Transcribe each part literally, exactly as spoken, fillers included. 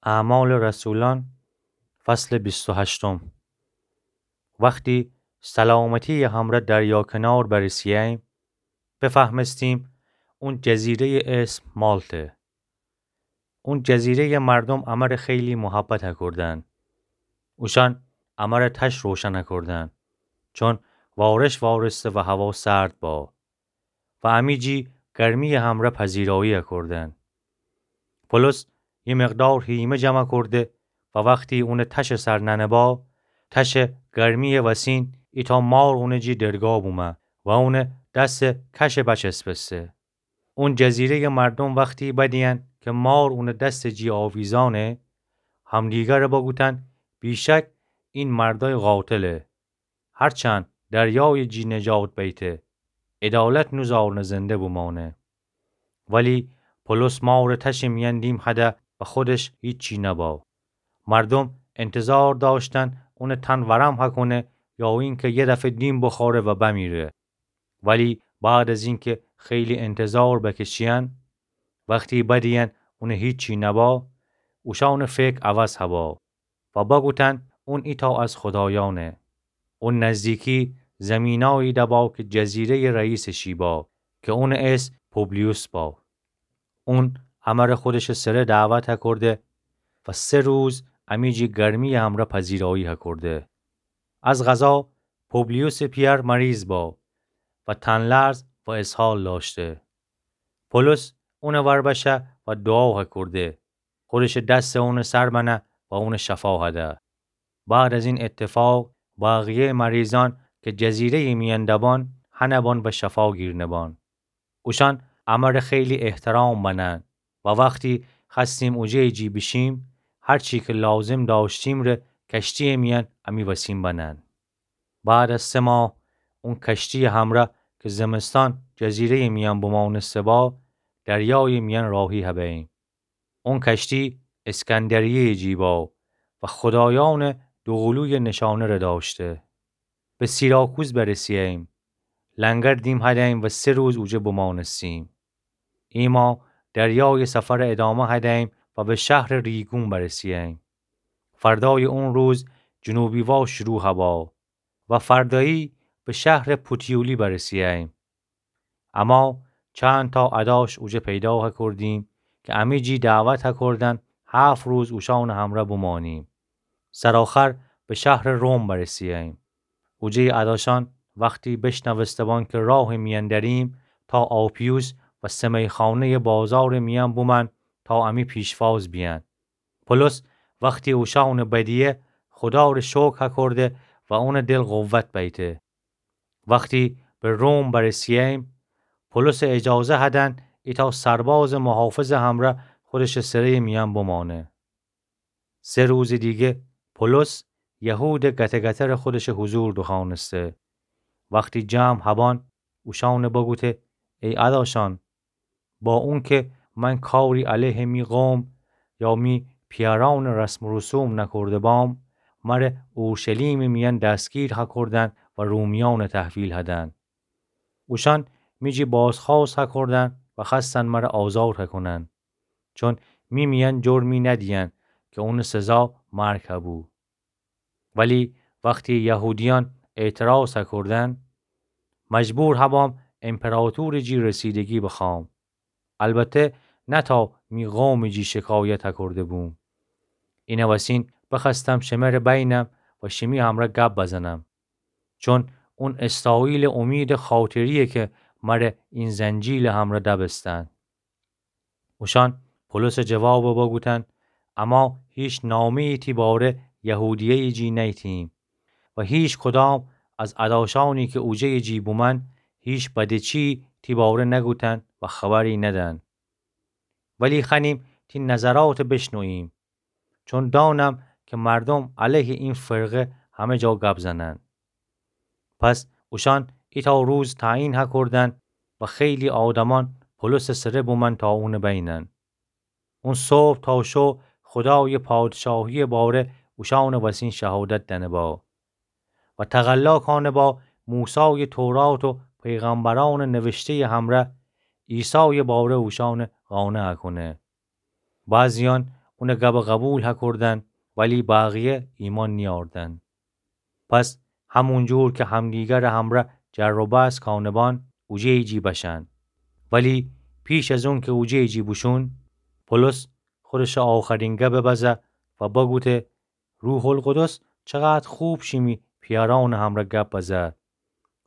اعمال رسولان، فصل بیست و هشتم. وختی سلامتی‌یٚ همرأ دریا کنار برسه‌ییم، بفهمستیم اون جزیره‌یٚ اسم مالطه. اون جزیره‌یٚ مردوم امر خیلی محبت هکردن. اوشأن امر تش روشن هکردن، چون وارش وارسته و هوا سرد با. و امی جی گرمی‌یٚ همرأ پذیرایی هکردن. پولس یه مقدار هیمه جمع کرده و وختی اونٚ تشٚ سر ننه با، تشٚ گرمی‌یٚ وسین ایتأ مار اونٚ جی درگا بومه و اونٚ دستٚ کشٚ بچسبسته. اون جزیره‌یٚ مردوم وختی بدیین که مار اونٚ دستٚ جی آویزأنه، همدیگرٚ بگوتن: بی‌شک این مردأی قاتله. هرچند دریایٚ جی نجات بیته، عدالت نوذارنه زنده بومأنه. ولی پولس مارٚ تشٚ میأن دیم هده و خودش هیچی نبا. مردوم انتظار دأشتن اونٚ تن ورم هکونه یا اینکه یه دفعه دیم بخوره و بمیره. ولی بعد از اینکه خیلی انتظار بکشیین، وختی بدیین اونٚ هیچی نبا، اوشأنٚ فکر عوض هبا و بگوتن اون ایتأ از خدایأنه. اون نزدیکی زیمینایی دبا که جزیره‌یٚ رئیسٚ شی با، که اونٚ اسم پوبلیوس با. اون امرأ خودشٚ سره دعوت هکرده و سه روز امی جی گرمی‌یٚ همرأ پذیرایی هکرده. از قضا پوبلیوسٚ پیأر مریض با و تن‌لرز و اسهال دأشته. پولس اونٚ ور بشه و دوعا هکرده. خودشٚ دستٚ اونٚ سر بنه و اونٚ شفا هده. بعد از این اتفاق، بقیه‌یٚ مریضأن که جزیره‌یٚ میأن دبان، هنه بان و شفا گیرنه بان. اوشأن امرأ خیلی احترام بنن و وختی خوأستیم اوجه‌یٚ جی بیشیم، هرچی که لازم دأشتیم ره کشتی‌یٚ میأن امی وسین بنن. بعد از سه ماه اون کشتی‌یٚ همرأ که زمستان جزیره‌یٚ میأن بمأنسته با، دریایٚ میأن راهی هبه‌ییم. اون کشتی اسکندریه‌یٚ جی با و خدایأنٚ دوقلویٚ نشانه ره دأشته. به سیراکوز برسه‌ییم. لنگر دیم هده‌ییم و سه روز اوجه بمأنستیم. ایما دریایٚ سفر ادامه هده‌ییم و به شهرٚ ریگون برسه‌ییم. فردایٚ اون روز جنوبی وا شروع هبا و فردایی به شهرٚ پوتیولی برسه‌ییم. اما چندتأ اداش اوجه پیدا هکردیم که امی جی دعوت هکردن هفت روز اوشأنٚ همرأ بمأنیم. سرآخر به شهرٚ روم برسه‌ییم. اوجه‌یٚ اداشأن وختی بشنوسته بان که راهٚ میأن دریم، تا آپیوس و سه میخانه‌یٚ بازارٚ میأن بومأن تا امی پیشواز بیأن. پولس وختی اوشأنٚ بدیه، خودا ره شکر هکرده و اونٚ دل قوت بیته. وختی به روم برسه‌ییم، پولسٚ اجازه هدن ایتأ سربازٚ محافظٚ همرأ خودشٚ سره‌یٚ میأن بمأنه. سه روزٚ دیگه پولس یهودٚ گته‌گترٚ خودشٚ حضور دوخوأنسته. وختی جمع هبان، اوشأنٚ بگوته: ای اداشأن، با اونکه من کاری علیه می قوم یا می پیأرأنٚ رسم و رسوم نکرده بام، مره اورشلیمٚ میأن دستگیر هکردن و رومیأنٚ تحویل هدن. اوشأن می جی بازخوأست هکردن و خوأستن مره آزاد هکونن، چون می میأن جرمی ندیین که اونٚ سزا مرگ هبو. ولی وختی یهودیأن اعتراض هکردن، مجبور هبام امپراطورٚ جی رسیدگی بخوأم. البته نه تا می قومٚ جی شکایت هکرده بوم. اینه وسین بخوأستم شمره بینم و شیمی همرأ گب بزنم. چون اون اسرائیلٚ امیدٚ خاطریه که مره این زنجیلٚ همرأ دبستن. اوشأن پولسٚ جواب بوگوتن: اما هیچ نامه‌یی تی باره یهودیه‌یٚ جی نیتیم و هیچ کدام از اداشأنی که اوجه‌یٚ جی بومن هیچ بده‌چی تی باره نگوتن و خبری ندن. ولی خوأنیم تی نظرات بشنوییم، چون دانم که مردوم علیه این فرقه همه جا گب زنن. پس اوشأن ایتأ روز تعیین هکردن و خیلی آدمأن پولسٚ سره بومن تا اونٚ بینن. اون صبح تا شو خودایٚ پادشاهی‌یٚ باره اوشأنٚ وسین شهادت دأنه با و تقلا کانه با موسایٚ تورات و پیغمبرأنٚ نوشته‌یٚ همرأ عیسایٚ باره اوشأنٚ قانع هکونه. بعضیأن اونٚ گبَ قبول هکردن، ولی بقیه ایمأن نیأردن. پس همونجور که همدیگرٚ همرأ جر و بحث کانه‌بان، اوجه ایجی بشأن. ولی پیش از اونکه اوجه ایجی بوشون، پولس خودشٚ آخرین گبَ بزه و بگوته: روح‌القدس چقدر خوب شیمی پیأرأنٚ همرأ گب بزه.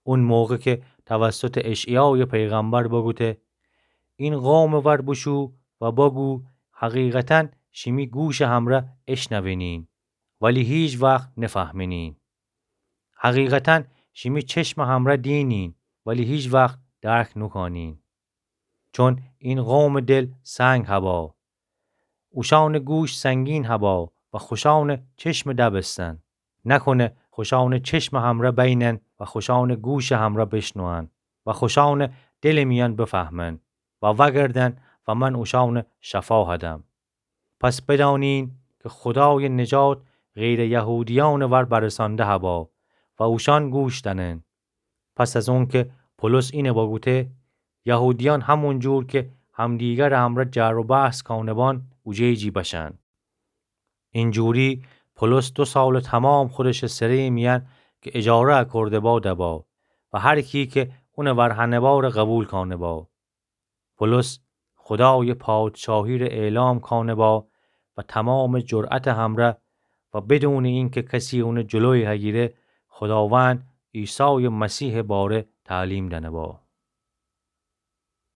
اون موقع که توسطٚ اشعیایٚ پیغمبر بگوته: این قومٚ ور بوشو و بگو، حقیقتاً شیمی گوشٚ همرأ اشنوینین، ولی هیچ وخت نفهمینین. حقیقتاً شیمی چشمٚ همرأ دینین، ولی هیچ وخت درک نوکانین. چون این قومٚ دل سنگ هبا، اوشأنٚ گوش سنگین هبا و خوشأنٚ چشمٚ دبستن. نکنه خوشأنٚ چشمٚ همرأ بینن و خوشأنٚ گوشٚ همرأ بشنوئن و خوشأنٚ دلٚ میأن بفهمن و وأگردن و من اوشأنٚ شفا هدم. پس بدأنین که خودایٚ نجات غیرٚ یهودیأنٚ ور برسانده هبا و اوشأن گوش دأنن. پس از اونکه پولس اینه بگوته، یهودیأن همونجور که همدیگرٚ همرأ جر و بحث کانه‌بان اوجه ایجی بشأن. اینجوری پولس دو سالٚ تومام خودشٚ سره‌یٚ میأن که اجاره اکرده‌با دبا و هر کی که اونٚ ور هنه‌بارٚ قبول کانه‌با. پولس خودایٚ پادشاهی ره اعلام کانه‌با و تومامٚ جرأتٚ همرأ و بدونٚ اینکه کسی اونٚ جلویٚ هگیره، خوداوند عیسایٚ مسیحٚ باره تعلیم دأنه‌با.